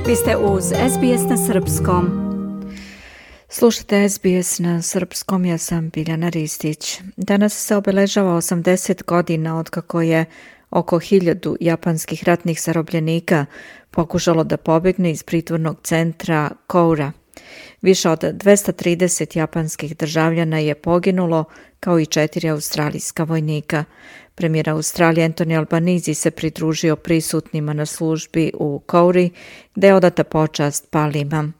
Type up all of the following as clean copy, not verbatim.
Vi ste uz SBS na srpskom. Slušajte SBS na srpskom, ja sam Biljana Ristić. Danas se obeležava 80 godina otkako je oko 1000 japanskih ratnih zarobljenika pokušalo da pobjegne iz pritvornog centra Koura. Više od 230 japanskih državljana je poginulo, kao i 4 australijska vojnika. Premijer Australije Anthony Albanese se pridružio prisutnima na službi u Kouri, gdje je odata počast palima.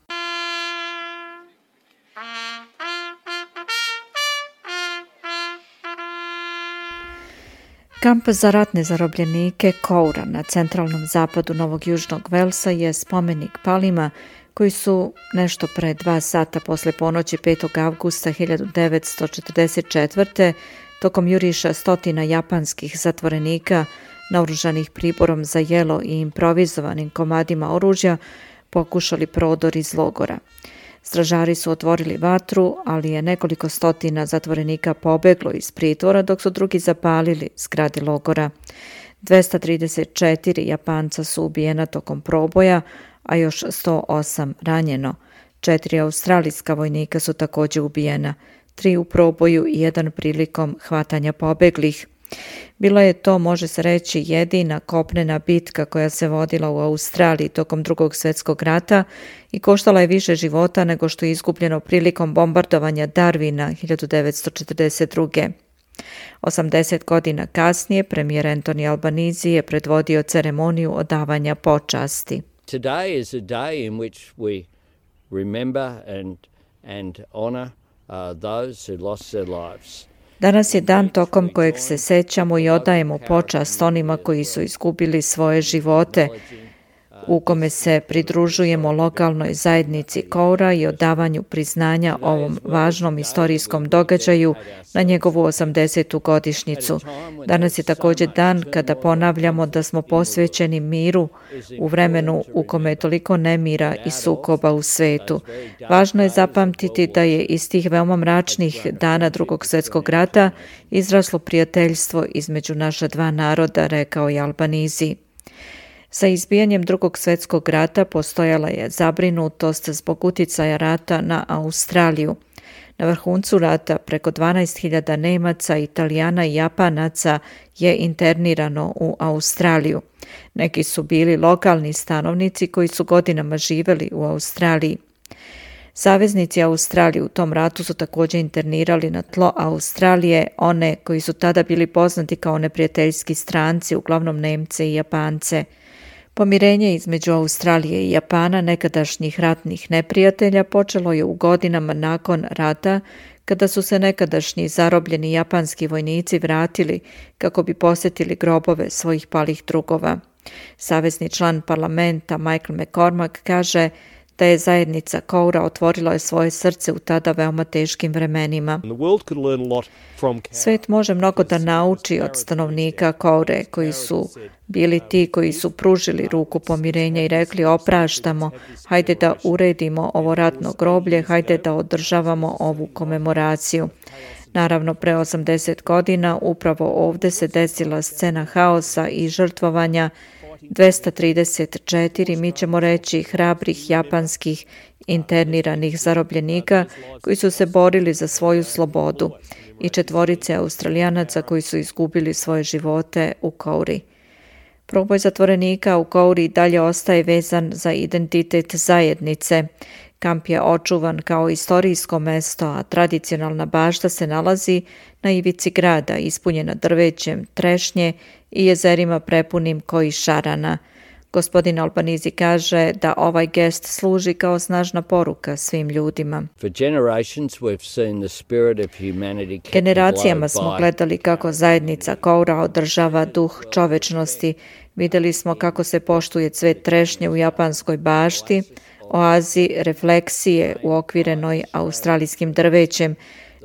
Kamp za ratne zarobljenike Koura na centralnom zapadu Novog Južnog Velsa je spomenik palima koji su nešto pre 2 sata posle ponoći 5. avgusta 1944. tokom juriša stotina japanskih zatvorenika naoružanih priborom za jelo i improvizovanim komadima oružja pokušali prodor iz logora. Stražari su otvorili vatru, ali je nekoliko stotina zatvorenika pobeglo iz pritvora dok su drugi zapalili zgrade logora. 234 Japanca su ubijena tokom proboja, a još 108 ranjeno. 4 australijska vojnika su također ubijena, 3 u proboju i 1 prilikom hvatanja pobeglih. Bila je to, može se reći, jedina kopnena bitka koja se vodila u Australiji tokom Drugog svjetskog rata i koštala je više života nego što je izgubljeno prilikom bombardovanja Darwina 1942. 80 godina kasnije premijer Anthony Albanese je predvodio ceremoniju odavanja počasti. Today is a day in which we remember and honor those who lost their lives. Danas je dan tokom kojeg se sećamo i odajemo počast onima koji su izgubili svoje živote, u kome se pridružujemo lokalnoj zajednici Koura i odavanju priznanja ovom važnom istorijskom događaju na njegovu 80. godišnjicu. Danas je također dan kada ponavljamo da smo posvećeni miru u vremenu u kome je toliko nemira i sukoba u svetu. Važno je zapamtiti da je iz tih veoma mračnih dana Drugog svjetskog rata izraslo prijateljstvo između naša dva naroda, rekao je Albanese. Sa izbijanjem Drugog svjetskog rata postojala je zabrinutost zbog uticaja rata na Australiju. Na vrhuncu rata preko 12.000 Nemaca, Italijana i Japanaca je internirano u Australiju. Neki su bili lokalni stanovnici koji su godinama živjeli u Australiji. Saveznici Australije u tom ratu su također internirali na tlo Australije one koji su tada bili poznati kao neprijateljski stranci, uglavnom Nemce i Japance. Pomirenje između Australije i Japana, nekadašnjih ratnih neprijatelja, počelo je u godinama nakon rata, kada su se nekadašnji zarobljeni japanski vojnici vratili kako bi posjetili grobove svojih palih drugova. Savezni član parlamenta Michael McCormack kaže da je zajednica Koura otvorila svoje srce u tada veoma teškim vremenima. Svet može mnogo da nauči od stanovnika Koure, koji su bili ti koji su pružili ruku pomirenja i rekli opraštamo, hajde da uredimo ovo ratno groblje, hajde da održavamo ovu komemoraciju. Naravno, pre 80 godina upravo ovdje se desila scena haosa i žrtvovanja 234, mi ćemo reći, hrabrih japanskih interniranih zarobljenika koji su se borili za svoju slobodu i 4 Australijanaca koji su izgubili svoje živote u Kouri. Proboj zatvorenika u Kouri dalje ostaje vezan za identitet zajednice. Kamp je očuvan kao istorijsko mesto, a tradicionalna bašta se nalazi na ivici grada, ispunjena drvećem, trešnje i jezerima prepunim koji šarana. Gospodin Albanese kaže da ovaj gest služi kao snažna poruka svim ljudima. Generacijama smo gledali kako zajednica Koura održava duh čovečnosti. Vidjeli smo kako se poštuje cvet trešnje u japanskoj bašti, oazi refleksije uokvirenoj australijskim drvećem.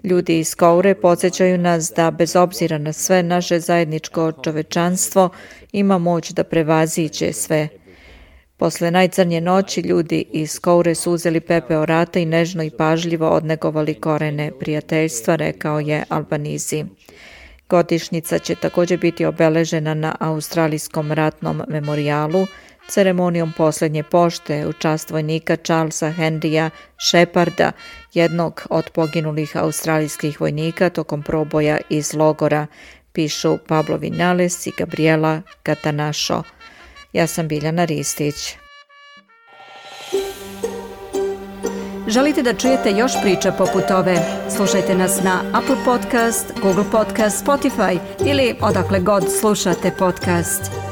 Ljudi iz Koure podsjećaju nas da bez obzira na sve naše zajedničko čovečanstvo ima moć da prevaziđe sve. Posle najcrnje noći ljudi iz Koure su uzeli pepeo rata i nežno i pažljivo odnegovali korene prijateljstva, rekao je Albanese. Godišnjica će također biti obeležena na Australijskom ratnom memorijalu ceremonijom posljednje pošte u čast vojnika Charlesa Henrya Sheparda, jednog od poginulih australijskih vojnika tokom proboja iz logora, pišu Pablo Vinales i Gabriela Catanacho. Ja sam Biljana Ristić. Želite da čujete još priča poput ove? Slušajte nas na Apple Podcast, Google Podcast, Spotify ili odakle god slušate podcast.